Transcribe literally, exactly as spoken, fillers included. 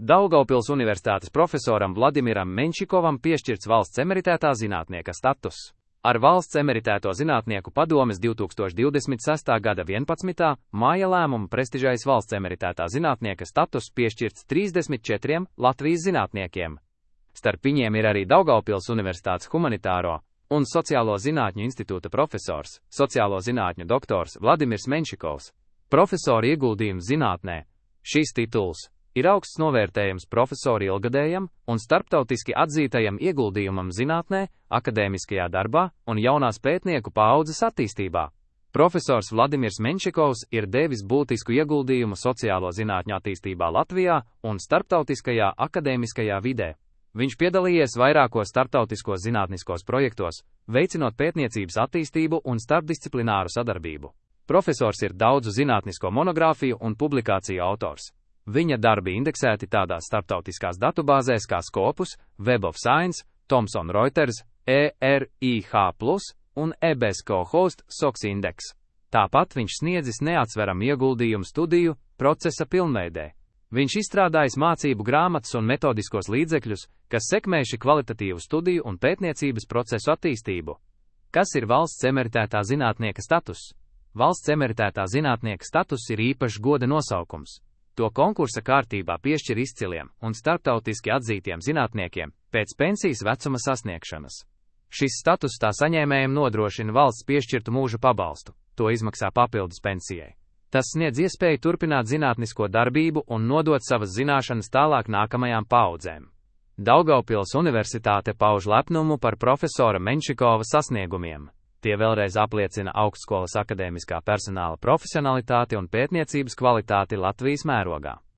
Daugavpils Universitātes profesoram Vladimiram Menčikovam piešķirts valsts emeritētā zinātnieka status. Ar valsts emeritēto zinātnieku padomes divi tūkstoši divdesmit sestā gada vienpadsmitā māja lēmumu prestižais valsts emeritētā zinātnieka status piešķirts trīsdesmit četriem Latvijas zinātniekiem. Starp viņiem ir arī Daugavpils Universitātes humanitāro un sociālo zinātņu institūta profesors, sociālo zinātņu doktors Vladimirs Menčikovs. Profesora ieguldījums zinātnē. Šis tituls ir augsts novērtējums profesora ilgadējam un starptautiski atzītajam ieguldījumam zinātnē, akadēmiskajā darbā un jaunās pētnieku paaudzes attīstībā. Profesors Vladimirs Menčikovs ir devis būtisku ieguldījumu sociālo zinātņu attīstībā Latvijā un starptautiskajā akadēmiskajā vidē. Viņš piedalījies vairākos starptautiskos zinātniskos projektos, veicinot pētniecības attīstību un starpdisciplināru sadarbību. Profesors ir daudzu zinātnisko monogrāfiju un publikāciju autors. Viņa darbi indeksēti tādās starptautiskās datubāzēs kā Scopus, Web of Science, Thomson Reuters, E R I H plus un E B S C O Host SOX Index. Tāpat viņš sniedzis neatsveramu ieguldījumu studiju procesa pilnveidē. Viņš izstrādājis mācību grāmatas un metodiskos līdzekļus, kas sekmējuši kvalitatīvu studiju un pētniecības procesu attīstību. Kas ir valsts emeritētā zinātnieka status? Valsts emeritētā zinātnieka status ir īpašs goda nosaukums. To konkursa kārtībā piešķir izciliem un starptautiski atzītiem zinātniekiem pēc pensijas vecuma sasniegšanas. Šis status tā saņēmējiem nodrošina valsts piešķirtu mūža pabalstu, to izmaksā papildus pensijai. Tas sniedz iespēju turpināt zinātnisko darbību un nodot savas zināšanas tālāk nākamajām paaudzēm. Daugavpils Universitāte pauž lepnumu par profesora Menčikova sasniegumiem. Tie vēlreiz apliecina augstskolas akadēmiskā personāla profesionalitāti un pētniecības kvalitāti Latvijas mērogā.